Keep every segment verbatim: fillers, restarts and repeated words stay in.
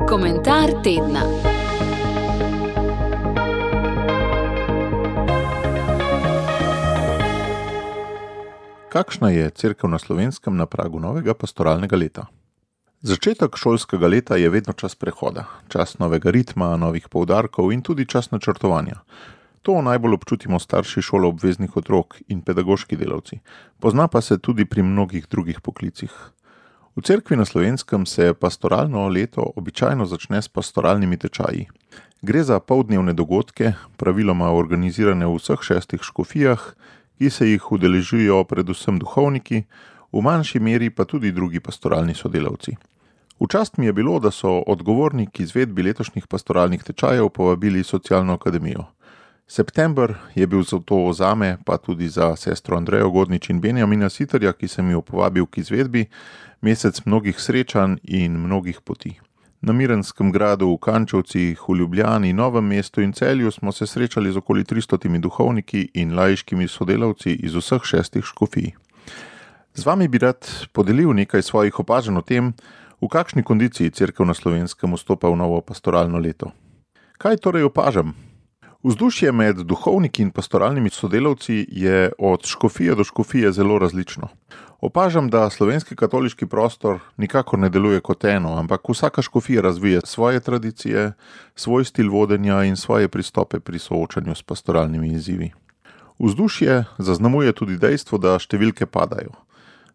Komentar tedna. Kakšna je cerkev na Slovenskem na pragu novega pastoralnega leta? Začetek šolskega leta je vedno čas prehoda, čas novega ritma, novih poudarkov in tudi čas načrtovanja. To najbolj občutimo starši šoloobveznih otrok in pedagoški delavci, pozna pa se tudi pri mnogih drugih poklicih. V cerkvi na Slovenskem se pastoralno leto običajno začne s pastoralnimi tečaji. Gre za poldnevne dogodke, praviloma organizirane v vseh šestih škofijah, ki se jih udeležujejo predvsem duhovniki, v manjši meri pa tudi drugi pastoralni sodelavci. V čast mi je bilo, da so odgovorni k izvedbi letošnjih pastoralnih tečajev povabili Socialno akademijo. September je bil zato zame, pa tudi za sestro Andrejo Godnič in Benjamina Siterja, ki sem jo povabil k izvedbi, mesec mnogih srečanj in mnogih poti. Na Mirnskem gradu, v Kančevcih, v Ljubljani, Novem mestu in Celju smo se srečali z okoli tristotimi duhovniki in laiškimi sodelavci iz vseh šestih škofij. Z vami bi rad podelil nekaj svojih opažanj o tem, v kakšni kondiciji cerkev na Slovenskem vstopa v novo pastoralno leto. Kaj torej opažam? Vzdušje med duhovniki in pastoralnimi sodelavci je od škofije do škofije zelo različno. Opažam, da slovenski katoliški prostor nikakor ne deluje kot eno, ampak vsaka škofija razvije svoje tradicije, svoj stil vodenja in svoje pristope pri soočanju s pastoralnimi izzivi. Vzdušje zaznamuje tudi dejstvo, da številke padajo,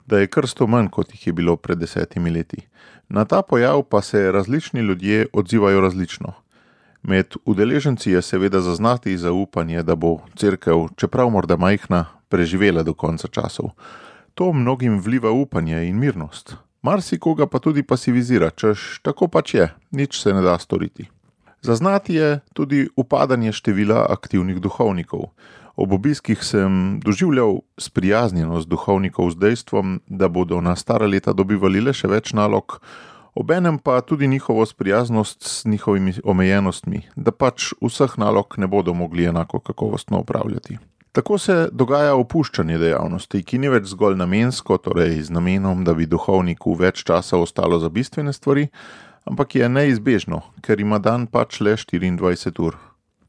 da je krstov manj, kot jih je bilo pred desetimi leti. Na ta pojav pa se različni ljudje odzivajo različno. Med udeleženci je seveda zaznati zaupanje, da bo cerkev, čeprav morda majhna, preživela do konca časov. To mnogim vliva upanje in mirnost. Marsikoga pa tudi pasivizira, češ tako pač je, nič se ne da storiti. Zaznati je tudi upadanje števila aktivnih duhovnikov. Ob obiskih sem doživljal sprijaznjenost duhovnikov z dejstvom, da bodo na stara leta dobivali le še več nalog, obenem pa tudi njihovo sprijaznost s njihovimi omejenostmi, da pač vseh nalog ne bodo mogli enako kakovostno upravljati. Tako se dogaja opuščanje dejavnosti, ki ni več zgolj namensko, torej z namenom, da bi duhovniku več časa ostalo za bistvene stvari, ampak je neizbežno, ker ima dan pač le štiriindvajset ur.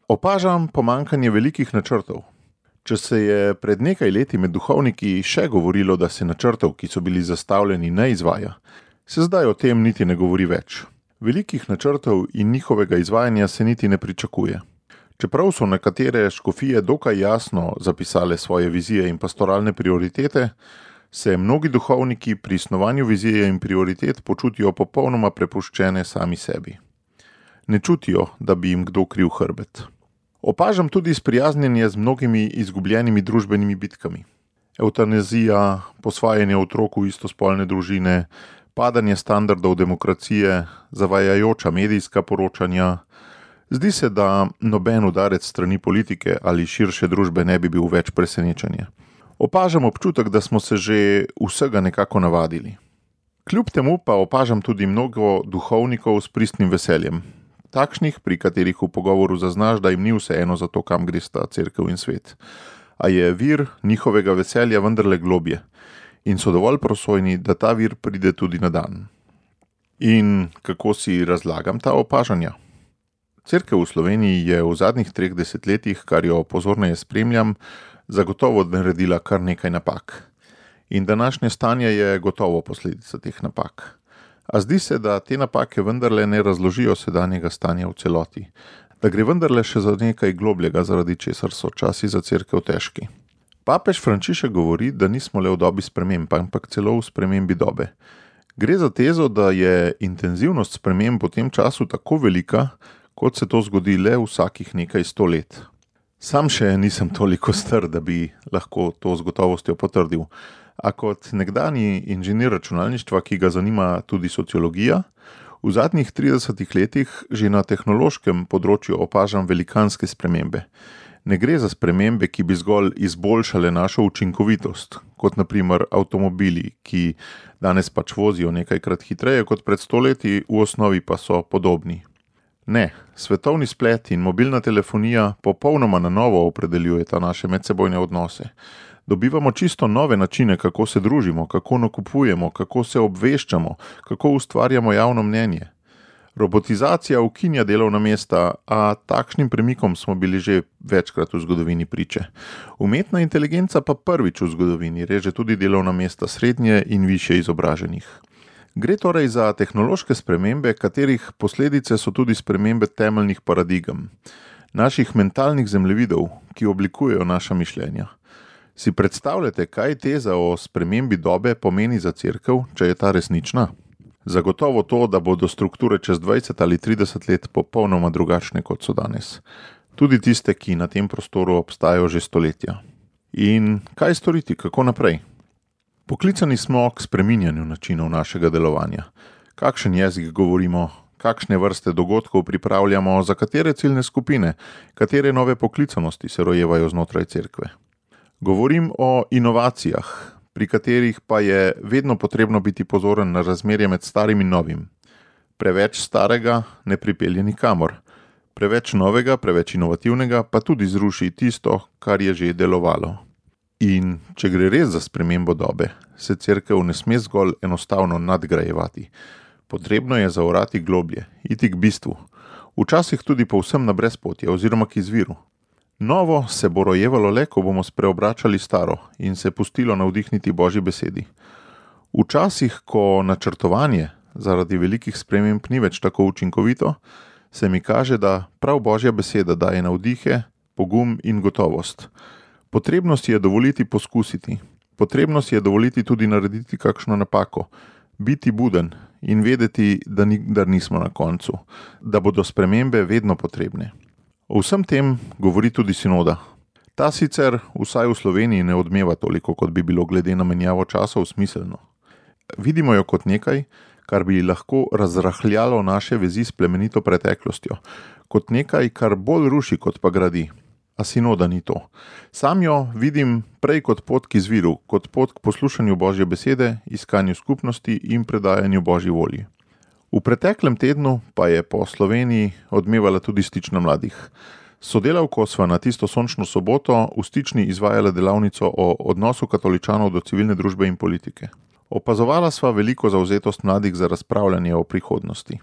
Opažam pomanjkanje velikih načrtov. Če se je pred nekaj leti med duhovniki še govorilo, da se načrtov, ki so bili zastavljeni, ne izvaja, se zdaj o tem niti ne govori več. Velikih načrtov in njihovega izvajanja se niti ne pričakuje. Čeprav so nekatere škofije dokaj jasno zapisale svoje vizije in pastoralne prioritete, se mnogi duhovniki pri snovanju vizije in prioritet počutijo popolnoma prepuščene sami sebi. Ne čutijo, da bi jim kdo kril hrbet. Opažam tudi sprijaznjenje z mnogimi izgubljenimi družbenimi bitkami. Evtanazija, posvajanje otrok v istospolne družine, padanje standardov demokracije, zavajajoča medijska poročanja. Zdi se, da noben udarec strani politike ali širše družbe ne bi bil več presenečenje. Opažam občutek, da smo se že vsega nekako navadili. Kljub temu pa opažam tudi mnogo duhovnikov s pristnim veseljem. Takšnih, pri katerih v pogovoru zaznaš, da jim ni vseeno za to, kam gresta cerkev in svet. A je vir njihovega veselja vendarle globje in so dovolj prosojni, da ta vir pride tudi na dan. In kako si razlagam ta opažanja? Cerkev v Sloveniji je v zadnjih treh desetletjih, kar jo pozorneje spremljam, zagotovo naredila kar nekaj napak. In današnje stanje je gotovo posledica teh napak. A zdi se, da te napake vendarle ne razložijo sedanjega stanja v celoti, da gre vendarle še za nekaj globljega, zaradi česar so časi za cerkev težki. Papež Frančišek govori, da nismo le v dobi sprememb, ampak celo v spremembi dobe. Gre za tezo, da je intenzivnost sprememb v tem času tako velika, kot se to zgodi le vsakih nekaj sto let. Sam še nisem toliko star, da bi lahko to z gotovostjo potrdil. A kot nekdanji inženir računalništva, ki ga zanima tudi sociologija, v zadnjih tridesetih letih že na tehnološkem področju opažam velikanske spremembe. Ne gre za spremembe, ki bi zgolj izboljšale našo učinkovitost, kot na primer avtomobili, ki danes pač vozijo nekajkrat hitreje kot pred sto leti, v osnovi pa so podobni. Ne, svetovni splet in mobilna telefonija popolnoma na novo opredeljujeta naše medsebojne odnose. Dobivamo čisto nove načine, kako se družimo, kako nakupujemo, kako se obveščamo, kako ustvarjamo javno mnenje. Robotizacija ukinja delovna mesta, a takšnim premikom smo bili že večkrat v zgodovini priče. Umetna inteligenca pa prvič v zgodovini reže tudi delovna mesta srednje in višje izobraženih. Gre torej za tehnološke spremembe, katerih posledice so tudi spremembe temeljnih paradigem, naših mentalnih zemljevidov, ki oblikujejo naša mišljenja. Si predstavljate, kaj teza o spremembi dobe pomeni za cerkev, če je ta resnična? Zagotovo to, da bodo strukture čez dvajset ali trideset let popolnoma drugačne, kot so danes. Tudi tiste, ki na tem prostoru obstajajo že stoletja. In kaj storiti, kako naprej? Poklicani smo k spreminjanju načinov našega delovanja. Kakšen jezik govorimo, kakšne vrste dogodkov pripravljamo, za katere ciljne skupine, katere nove poklicanosti se rojevajo znotraj cerkve. Govorim o inovacijah, pri katerih pa je vedno potrebno biti pozoren na razmerje med starim in novim. Preveč starega ne pripelje nikamor. Preveč novega, preveč inovativnega pa tudi zruši tisto, kar je že delovalo. In če gre res za spremembo dobe, se cerkev ne sme zgolj enostavno nadgrajevati. Potrebno je zaorati globlje, iti k bistvu. Včasih tudi povsem na brezpotje oziroma k izviru. Novo se bo rojevalo le, ko bomo spreobračali staro in se pustilo navdihniti Božji besedi. Včasih, ko načrtovanje zaradi velikih sprememb ni več tako učinkovito, se mi kaže, da prav Božja beseda daje navdihe, pogum in gotovost. Potrebno si je dovoliti poskusiti. Potrebno si je dovoliti tudi narediti kakšno napako, biti buden in vedeti, da nikdar nismo na koncu, da bodo spremembe vedno potrebne. O vsem tem govori tudi sinoda. Ta sicer vsaj v Sloveniji ne odmeva toliko, kot bi bilo glede na menjavo časov smiselno. Vidimo jo kot nekaj, kar bi lahko razrahljalo naše vezi s plemenito preteklostjo, kot nekaj, kar bolj ruši, kot pa gradi. A sinoda ni to. Sam jo vidim prej kot pot k izviru, kot pot k poslušanju Božje besede, iskanju skupnosti in predajanju Božji volji. V preteklem tednu pa je po Sloveniji odmevala tudi Stična mladih. Sodelavko sva na tisto sončno soboto v Stični izvajala delavnico o odnosu katoličanov do civilne družbe in politike. Opazovala sva veliko zavzetost mladih za razpravljanje o prihodnosti.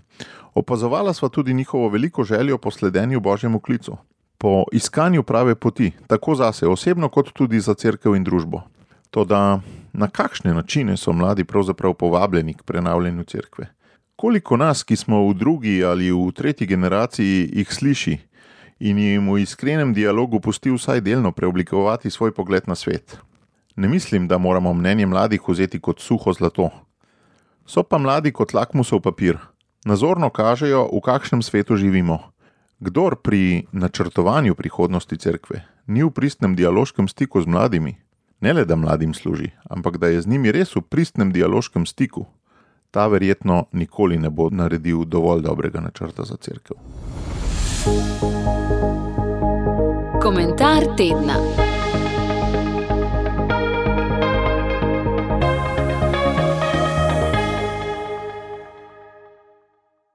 Opazovala sva tudi njihovo veliko željo po sledenju Božjemu klicu, po iskanju prave poti, tako zase osebno kot tudi za cerkev in družbo. Toda na kakšne načine so mladi pravzaprav povabljeni k prenavljanju cerkve? Koliko nas, ki smo v drugi ali v tretji generaciji, jih sliši in jim v iskrenem dialogu pusti vsaj delno preoblikovati svoj pogled na svet? Ne mislim, da moramo mnenje mladih vzeti kot suho zlato. So pa mladi kot lakmusov papir. Nazorno kažejo, v kakšnem svetu živimo. Kdor pri načrtovanju prihodnosti cerkve ni v pristnem dialoškem stiku z mladimi, ne le da mladim služi, ampak da je z njimi res v pristnem dialoškem stiku, ta verjetno nikoli ne bo naredil dovolj dobrega načrta za cerkev. Komentar tedna.